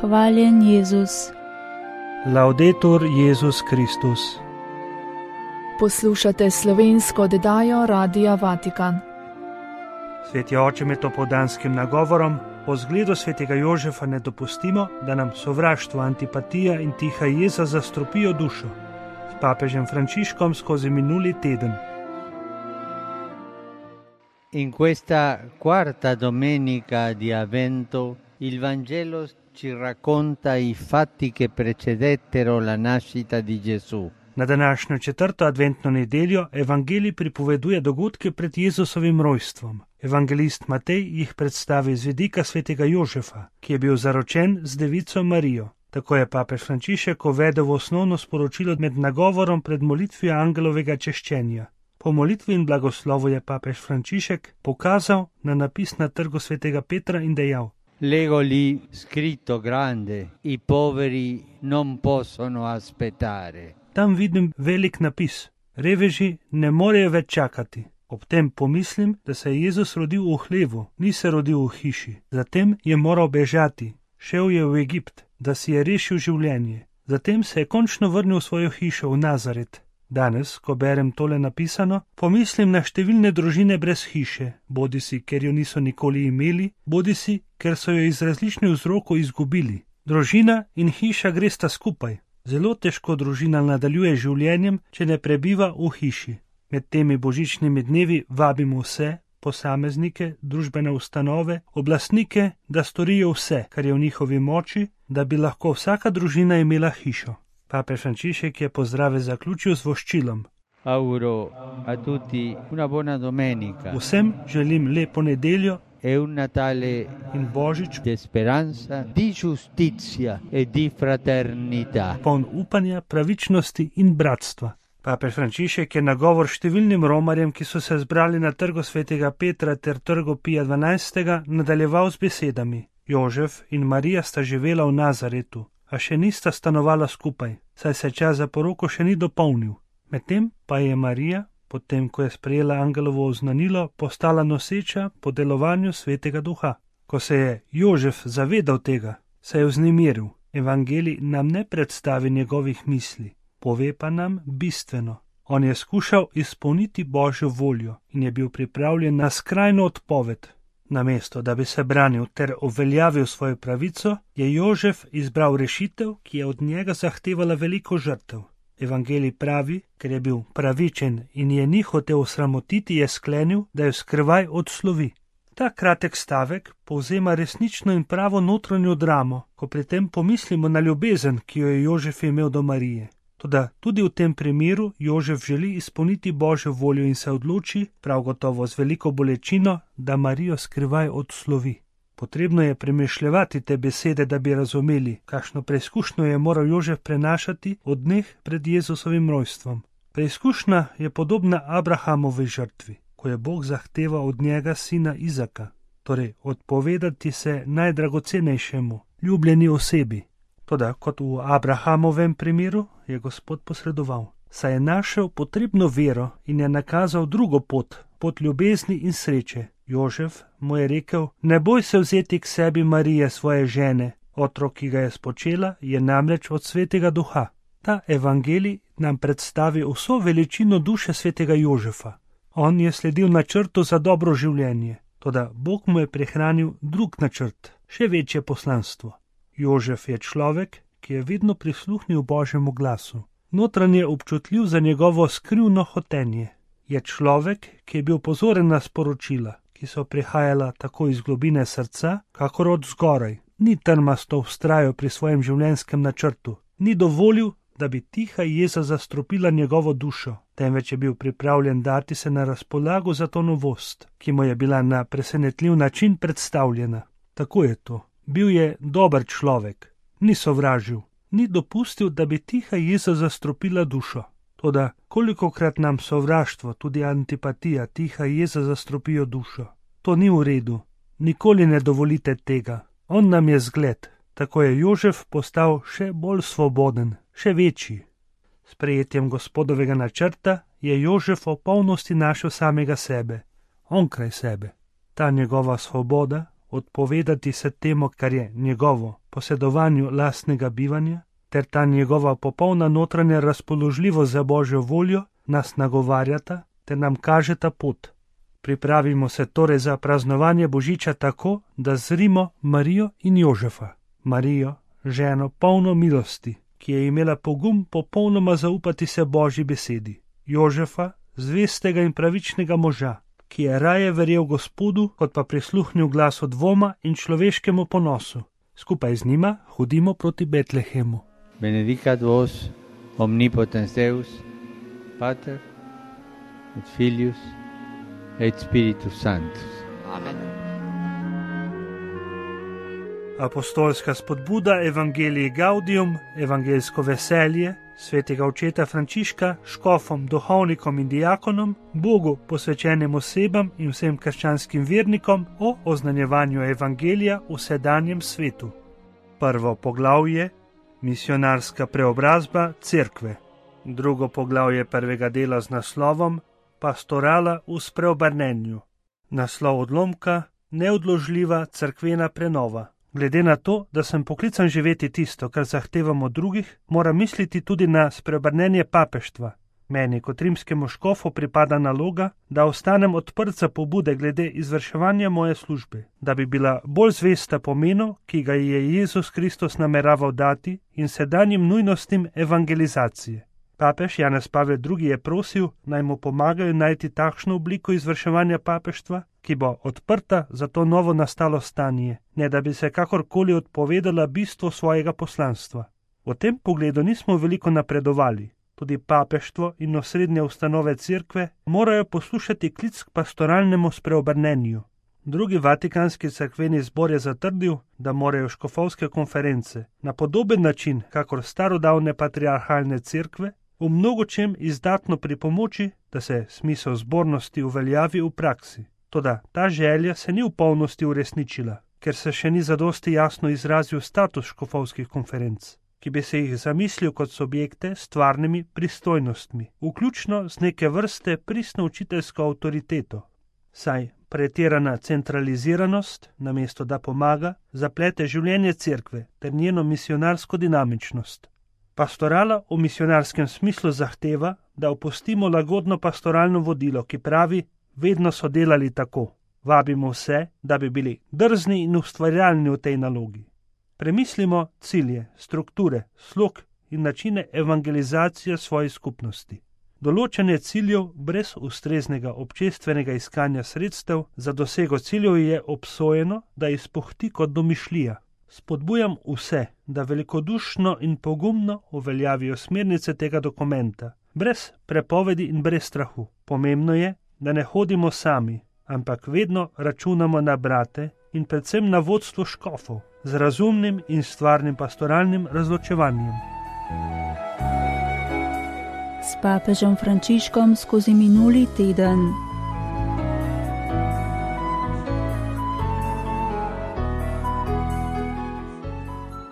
Hvaljen Jezus. Laudetur Jezus Kristus. Poslušate slovensko oddajo Radia Vatikan. Sveti oče med opoldanskim nagovorom po zgledu svetega Jožefa ne dopustimo, da nam sovraštvo, antipatija in tiha jeza zastrupijo dušo. S papežem Frančiškom skozi minuli teden. In questa quarta domenica di Avvento il Vangelo ci racconta i fatti che precedettero la nascita di Gesù. Na današnjo četrto adventno nedeljo evangelij pripoveduje dogodke pred Jezusovim rojstvom. Evangelist Matej jih predstavi z vidika svetega Jožefa, ki je bil zaročen z devico Marijo. Tako je papež Frančišek uvedel v osnovno sporočilo med nagovorom pred molitvijo angelovega češčenja. Po molitvi in blagoslovu je papež Frančišek pokazal na napis na trgu svetega Petra in dejal: Leggo lì scritto grande, i poveri non possono aspettare. Tam vidim velik napis, reveži ne morejo več čakati. Ob tem pomislim, da se je Jezus rodil v hlevu, ni se rodil v hiši. Zatem je moral bežati, šel je v Egipt, da si je rešil življenje. Zatem se je končno vrnil v svojo hišo v Nazaret. Danes, ko berem tole napisano, pomislim na številne družine brez hiše, bodisi ker jo niso nikoli imeli, bodisi ker so jo iz različnih vzrokov izgubili. Družina in hiša gresta skupaj. Zelo težko družina nadaljuje življenjem, če ne prebiva v hiši. Med temi božičnimi dnevi vabimo vse, posameznike, družbene ustanove, oblastnike, da storijo vse, kar je v njihovi moči, da bi lahko vsaka družina imela hišo. Papež Frančišek je pozdrave zaključil z voščilom. Auguro a tutti una buona domenica. Vsem želim lepo nedeljo E un Natale in božič di speranza, di giustizia e di fraternità. poln upanja, pravičnosti in bratstva. Papež Frančišek je nagovor številnim romarjem, ki so se zbrali na trgu svetega Petra ter trgu Pija XII, nadaljeval z besedami: Jožef in Marija sta živela v Nazaretu, a še nista stanovala skupaj, saj se čas za poroko še ni dopolnil. Medtem pa je Marija, potem ko je sprejela angelovo oznanilo, postala noseča po delovanju svetega duha. Ko se je Jožef zavedal tega, se je vznemiril. Evangelij nam ne predstavi njegovih misli, pove pa nam bistveno. On je skušal izpolniti Božjo voljo in je bil pripravljen na skrajno odpoved. Namesto da bi se branil ter uveljavil svojo pravico, je Jožef izbral rešitev, ki je od njega zahtevala veliko žrtev. Evangelij pravi, ker je bil pravičen in je ni hotel osramotiti, je sklenil, da jo skrivaj odslovi. Ta kratek stavek povzema resnično in pravo notranjo dramo, ko pri tem pomislimo na ljubezen, ki jo je Jožef imel do Marije. Toda tudi v tem primeru Jožef želi izpolniti Božjo voljo in se odloči, prav gotovo z veliko bolečino, da Marijo skrivaj odslovi. Potrebno je premišljevati te besede, da bi razumeli, kakšno preizkušnjo je moral Jožef prenašati od dneh pred Jezusovim rojstvom. Preizkušnja je podobna Abrahamovi žrtvi, ko je Bog zahteval od njega sina Izaka, torej odpovedati se najdragocenejšemu, ljubljeni osebi. Toda kot v Abrahamovem primeru je Gospod posredoval, saj je našel potrebno vero in je nakazal drugo pot, pot ljubezni in sreče. Jožef mu je rekel: ne boj se vzeti k sebi Marije, svoje žene, otrok, ki ga je spočela, je namreč od svetega duha. Ta evangelij nam predstavi vso veličino duše svetega Jožefa. On je sledil načrtu za dobro življenje, toda Bog mu je prihranil drug načrt, še večje poslanstvo. Jožef je človek, ki je vedno prisluhnil Božjemu glasu. Notranje občutljiv za njegovo skrivno hotenje. Je človek, ki je bil pozoren na sporočila, ki so prihajala tako iz globine srca, kakor od zgoraj. Ni trmasto vztrajal pri svojem življenjskem načrtu. Ni dovolil, da bi tiha jeza zastrupila njegovo dušo, temveč je bil pripravljen dati se na razpolago za to novost, ki mu je bila na presenetljiv način predstavljena. Tako je to. Bil je dober človek. Ni sovražil. Ni dopustil, da bi tiha jeza zastrupila dušo. Toda kolikokrat nam sovraštvo, tudi antipatija, tiha jeza zastrupijo dušo. To ni v redu. Nikoli ne dovolite tega. On nam je zgled. Tako je Jožef postal še bolj svoboden, še večji. S prejetjem Gospodovega načrta je Jožef v polnosti našel samega sebe, onkraj sebe. Ta njegova svoboda, odpovedati se temu, kar je njegovo, posedovanju lastnega bivanja, ter ta njegova popolna notranja razpoložljivost za Božjo voljo nas nagovarjata ter nam kažeta pot. Pripravimo se torej za praznovanje Božiča tako, da zrimo Marijo in Jožefa. Marijo, ženo polno milosti, ki je imela pogum popolnoma zaupati se Božji besedi. Jožefa, zvestega in pravičnega moža, ki je raje verjel Gospodu, kot pa prisluhnil glasu dvoma in človeškemu ponosu. Skupaj z njima hodimo proti Betlehemu. Benedicat vos omnipotens Deus, Pater et Filius et Spiritus Sanctus. Amen. Apostolska spodbuda Evangelii Gaudium, evangeljsko veselje svetega očeta Frančiška, škofom, duhovnikom in diakonom, Bogu posvečenim osebam in vsem krščanskim vernikom o oznanjevanju evangelija v sedanjem svetu. Prvo poglavje, misionarska preobrazba cerkve. Drugo poglavje prvega dela z naslovom Pastorala v spreobrnenju. Naslov odlomka Neodložljiva cerkvena prenova. Glede na to, da sem poklican živeti tisto, kar zahtevam od drugih, moram misliti tudi na spreobrnenje papeštva. Meni kot rimskemu škofu pripada naloga, da ostanem odprt za pobude glede izvrševanja moje službe, da bi bila bolj zvesta pomenu, ki ga je Jezus Kristus nameraval dati, in sedanjim nujnostim evangelizacije. Papež Janez Pavel II. Je prosil, naj mu pomagajo najti takšno obliko izvrševanja papeštva, ki bo odprta za to novo nastalo stanje, ne da bi se kakorkoli odpovedala bistvu svojega poslanstva. V tem pogledu nismo veliko napredovali. Tudi papeštvo in osrednje ustanove cerkve morajo poslušati klic k pastoralnemu spreobrnenju. Drugi vatikanski cerkveni zbor je zatrdil, da morajo škofovske konference na podoben način, kakor starodavne patriarhalne cerkve, v mnogočem izdatno pripomoči, da se smisel zbornosti uveljavi v praksi. Toda ta želja se ni v polnosti uresničila, ker se še ni zadosti jasno izrazil status škofovskih konferenc, ki bi se jih zamislil kot subjekte s stvarnimi pristojnostmi, vključno z neke vrste pristno učiteljsko avtoriteto. Saj pretirana centraliziranost, namesto da pomaga, zaplete življenje cerkve ter njeno misionarsko dinamičnost. Pastorala v misionarskem smislu zahteva, da opustimo lagodno pastoralno vodilo, ki pravi, vedno so delali tako. Vabimo vse, da bi bili drzni in ustvarjalni v tej nalogi. Premislimo cilje, strukture, slog in načine evangelizacije svoje skupnosti. Določanje ciljev brez ustreznega občestvenega iskanja sredstev za dosego ciljev je obsojeno, da izpuhti kot domišljija. Spodbujam vse, da velikodušno in pogumno uveljavijo smernice tega dokumenta, brez prepovedi in brez strahu. Pomembno je, da ne hodimo sami, ampak vedno računamo na brate in predvsem na vodstvo škofov z razumnim in stvarnim pastoralnim razločevanjem. S papežem Frančiškom skozi minuli teden.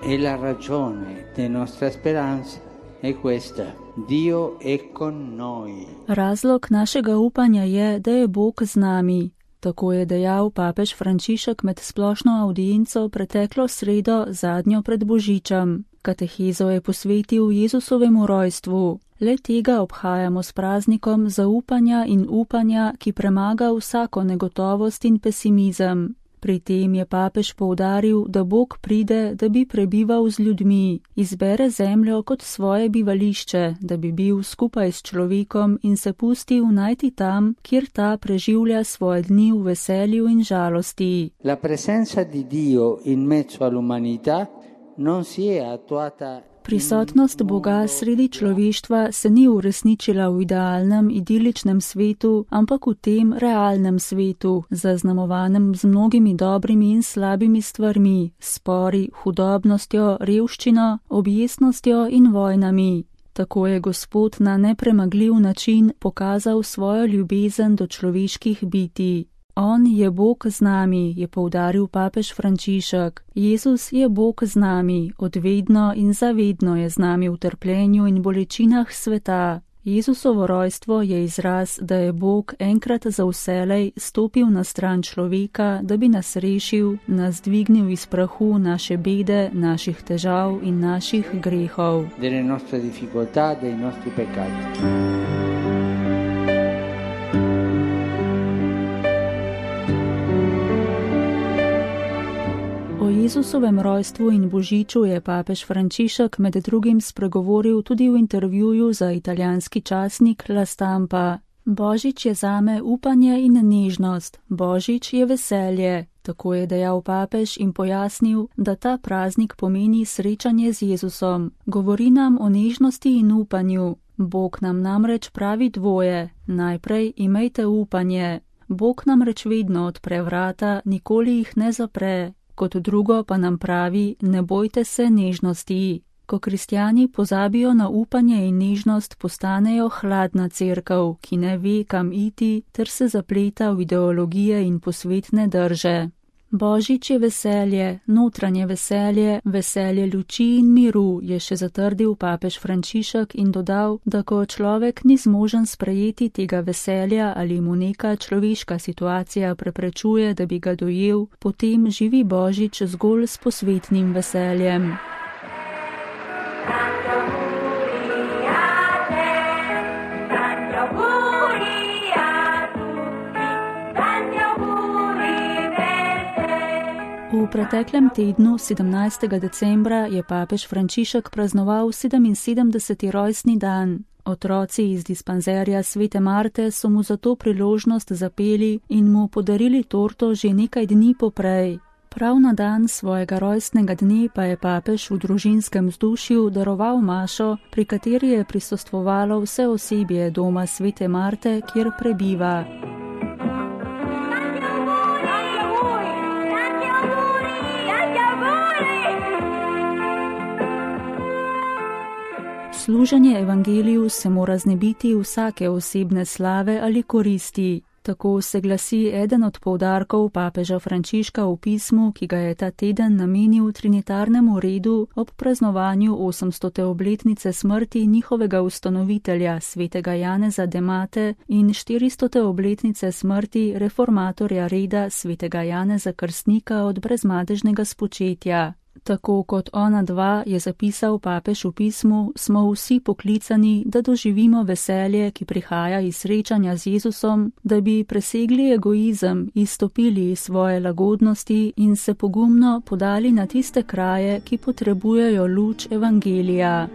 E la ragione della nostra speranza è questa: Dio è con noi. Razlog našega upanja je, da je Bog z nami. Tako je dejal papež Frančišek med splošno avdienco preteklo sredo, zadnjo pred Božičem. Katehezo je posvetil Jezusovemu rojstvu. Le tega obhajamo s praznikom zaupanja in upanja, ki premaga vsako negotovost in pesimizem. Pri tem je papež poudaril, da Bog pride, da bi prebival z ljudmi, izbere zemljo kot svoje bivališče, da bi bil skupaj s človekom in se pustil najti tam, kjer ta preživlja svoje dni v veselju in žalosti. La presenza di Dio in mezzo all'umanità non si è attuata. Prisotnost Boga sredi človeštva se ni uresničila v idealnem, idiličnem svetu, ampak v tem realnem svetu, zaznamovanem z mnogimi dobrimi in slabimi stvarmi, spori, hudobnostjo, revščino, objestnostjo in vojnami. Tako je Gospod na nepremagljiv način pokazal svojo ljubezen do človeških bitij. On je Bog z nami, je poudaril papež Frančišek. Jezus je Bog z nami, odvedno in zavedno je z nami v trpljenju in bolečinah sveta. Jezusovo rojstvo je izraz, da je Bog enkrat za vselej stopil na stran človeka, da bi nas rešil, nas dvignil iz prahu naše bede, naših težav in naših grehov. Delle nostre difficoltà, dei nostri peccati. O Jezusovem rojstvu in božiču je papež Frančišek med drugim spregovoril tudi v intervjuju za italijanski časnik La Stampa. Božič je zame upanje in nežnost, božič je veselje, tako je dejal papež in pojasnil, da ta praznik pomeni srečanje z Jezusom. Govori nam o nežnosti in upanju. Bog nam namreč pravi dvoje, najprej imejte upanje. Bog namreč vedno odpre vrata, nikoli jih ne zapre. Kot drugo pa nam pravi, ne bojte se nežnosti. Ko kristjani pozabijo na upanje in nežnost, postanejo hladna cerkev, ki ne ve, kam iti, ter se zapleta v ideologije in posvetne drže. Božič je veselje, notranje veselje, veselje luči in miru, je še zatrdil papež Frančišek in dodal, da ko človek ni zmožen sprejeti tega veselja ali mu neka človeška situacija preprečuje, da bi ga dojel, potem živi Božič zgolj s posvetnim veseljem. V preteklem tednu, 17. decembra, je papež Frančišek praznoval 77. rojstni dan. Otroci iz dispanzerja Svete Marte so mu za to priložnost zapeli in mu podarili torto že nekaj dni poprej. Prav na dan svojega rojstnega dne pa je papež v družinskem vzdušju daroval mašo, pri kateri je prisostvovalo vse osebje doma Svete Marte, kjer prebiva. Služenje evangeliju se mora znebiti vsake osebne slave ali koristi. Tako se glasi eden od poudarkov papeža Frančiška v pismu, ki ga je ta teden namenil trinitarnemu redu ob praznovanju 800. obletnice smrti njihovega ustanovitelja, svetega Janeza de Mate, in 400. obletnice smrti reformatorja reda, svetega Janeza Krstnika od brezmadežnega spočetja. Tako kot ona dva, je zapisal papež v pismu, smo vsi poklicani, da doživimo veselje, ki prihaja iz srečanja z Jezusom, da bi presegli egoizem, izstopili iz svoje lagodnosti in se pogumno podali na tiste kraje, ki potrebujejo luč evangelija.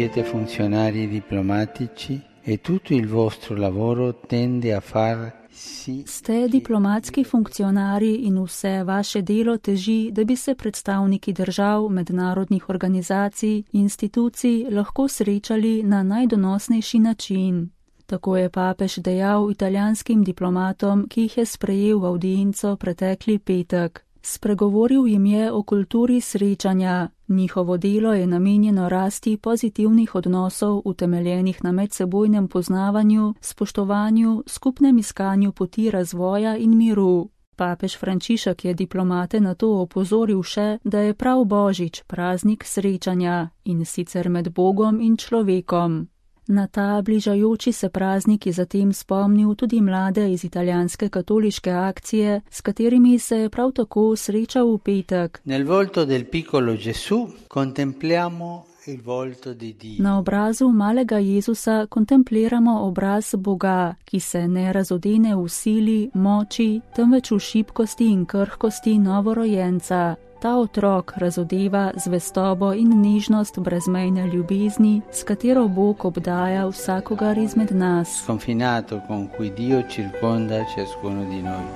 Siete funzionari diplomatici e tutto il vostro lavoro tende a far sì. Ste diplomatski funkcionarji in vse vaše delo teži, da bi se predstavniki držav, mednarodnih organizacij, institucij lahko srečali na najdonosnejši način. Tako je papež dejal italijanskim diplomatom, ki jih je sprejel v avdienco pretekli petek. Spregovoril jim je o kulturi srečanja. Njihovo delo je namenjeno rasti pozitivnih odnosov, utemeljenih na medsebojnem poznavanju, spoštovanju, skupnem iskanju poti razvoja in miru. Papež Frančišek je diplomate na to opozoril še, da je prav Božič praznik srečanja, in sicer med Bogom in človekom. Na ta bližajoči se praznik je zatem spomnil tudi mlade iz italijanske katoliške akcije, s katerimi se je prav tako srečal v petek. Nel volto del piccolo Gesù contempliamo il volto di Dio. Na obrazu malega Jezusa kontempliramo obraz Boga, ki se ne razodene v sili, moči, temveč v šibkosti in krhkosti novorojenca. Ta otrok razodeva zvestobo in nežnost brezmejne ljubezni, s katero Bog obdaja vsakogar izmed nas. Sconfinato con cui Dio circonda ciascuno di noi.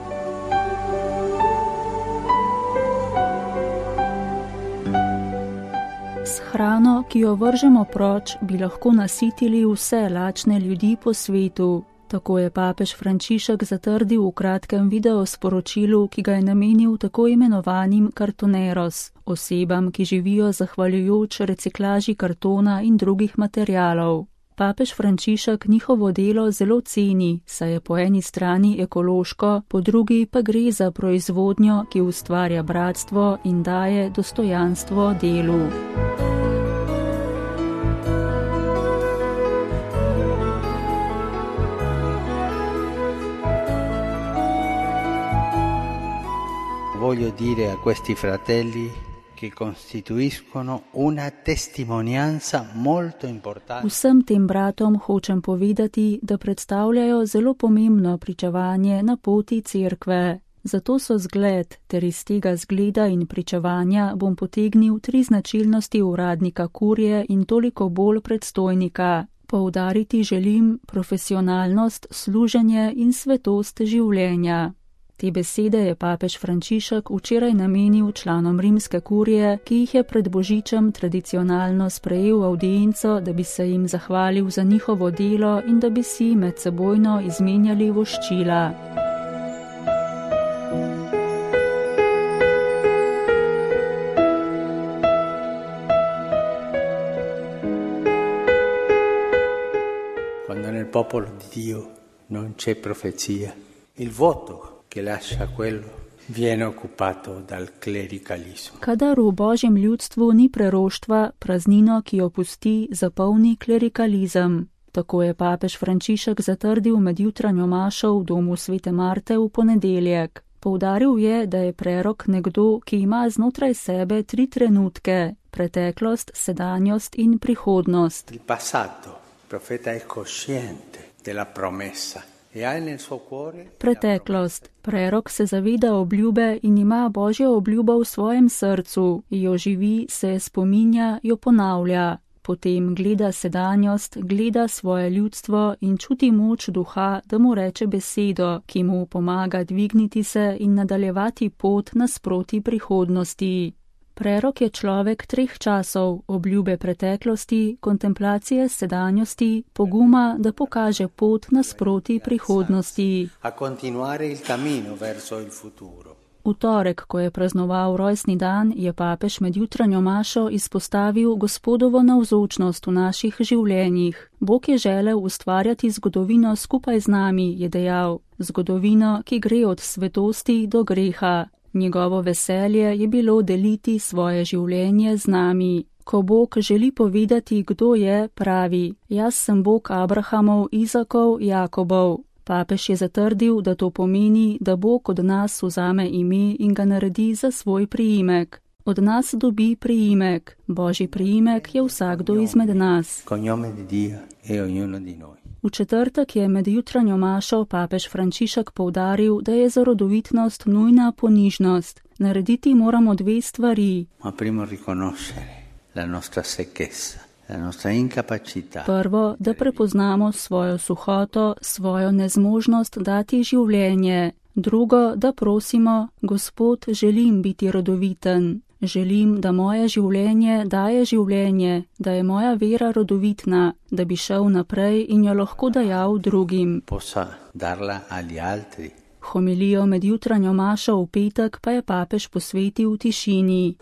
S hrano, ki jo vržemo proč, bi lahko nasitili vse lačne ljudi po svetu. Tako je papež Frančišek zatrdil v kratkem videosporočilu, ki ga je namenil tako imenovanim kartoneros, osebam, ki živijo zahvaljujoč reciklaži kartona in drugih materialov. Papež Frančišek njihovo delo zelo ceni, saj je po eni strani ekološko, po drugi pa gre za proizvodnjo, ki ustvarja bratstvo in daje dostojanstvo delu. Voglio dire a questi fratelli che costituiscono una testimonianza molto importante. Vsem tem bratom hočem povedati, da predstavljajo zelo pomembno pričevanje na poti cerkve. Zato so zgled, ter iz tega zgleda in pričevanja bom potegnil 3 značilnosti uradnika kurije in toliko bolj predstojnika. Poudariti želim profesionalnost, služenje in svetost življenja. Te besede je papež Frančišek včeraj namenil članom rimske kurije, ki jih je pred božičem tradicionalno sprejel v avdienco, da bi se jim zahvalil za njihovo delo in da bi si medsebojno izmenjali voščila. Quando nel popolo di Dio non c'è profezia, il voto che lascia quello viene occupato dal klerikalizmu. Kadar v Božjem ljudstvu ni preroštva, praznino, ki jo pusti, zapolni klerikalizem. Tako je papež Frančišek zatrdil med jutranjo mašo v domu svete Marte v ponedeljek. Poudaril je, da je prerok nekdo, ki ima znotraj sebe 3 trenutke: preteklost, sedanjost in prihodnost. Il passato, profeta è cosciente della promessa. Preteklost. Prerok se zaveda obljube in ima Božjo obljubo v svojem srcu, jo živi, se spominja, jo ponavlja. Potem gleda sedanjost, gleda svoje ljudstvo in čuti moč duha, da mu reče besedo, ki mu pomaga dvigniti se in nadaljevati pot nasproti prihodnosti. Prerok je človek 3 časov, obljube preteklosti, kontemplacije sedanjosti, poguma, da pokaže pot nasproti prihodnosti. V torek, ko je praznoval rojstni dan, je papež med jutranjo mašo izpostavil Gospodovo navzočnost v naših življenjih. Bog je želel ustvarjati zgodovino skupaj z nami, je dejal, zgodovino, ki gre od svetosti do greha. Njegovo veselje je bilo deliti svoje življenje z nami. Ko Bog želi povedati, kdo je, pravi: jaz sem Bog Abrahamov, Izakov, Jakobov. Papež je zatrdil, da to pomeni, da Bog od nas vzame ime in ga naredi za svoj priimek. Od nas dobi priimek. Božji priimek je vsakdo izmed nas. V četrtek je med jutranjo mašo papež Frančišek poudaril, da je za rodovitnost nujna ponižnost. Narediti moramo 2 stvari. Prvo, da prepoznamo svojo suhoto, svojo nezmožnost dati življenje. Drugo, da prosimo: Gospod, želim biti rodoviten. Želim, da moje življenje daje življenje, da je moja vera rodovitna, da bi šel naprej in jo lahko dajal drugim. Homilijo med jutranjo mašo v petek pa je papež posvetil tišini.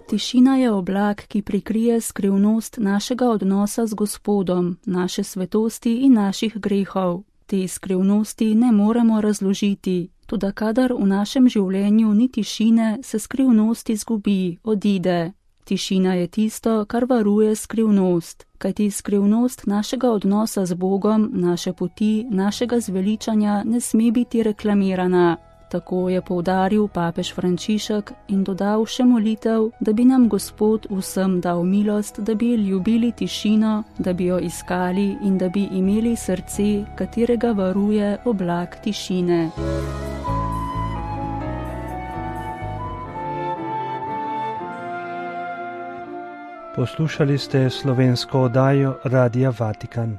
Tišina je oblak, ki prikrije skrivnost našega odnosa z Gospodom, naše svetosti in naših grehov. Te skrivnosti ne moremo razložiti, toda kadar v našem življenju ni tišine, se skrivnost izgubi, odide. Tišina je tisto, kar varuje skrivnost, kajti skrivnost našega odnosa z Bogom, naše poti, našega zveličanja ne sme biti reklamirana. Tako je poudaril papež Frančišek in dodal še molitev, da bi nam Gospod vsem dal milost, da bi ljubili tišino, da bi jo iskali in da bi imeli srce, katerega varuje oblak tišine. Poslušali ste slovensko oddajo Radia Vatikan.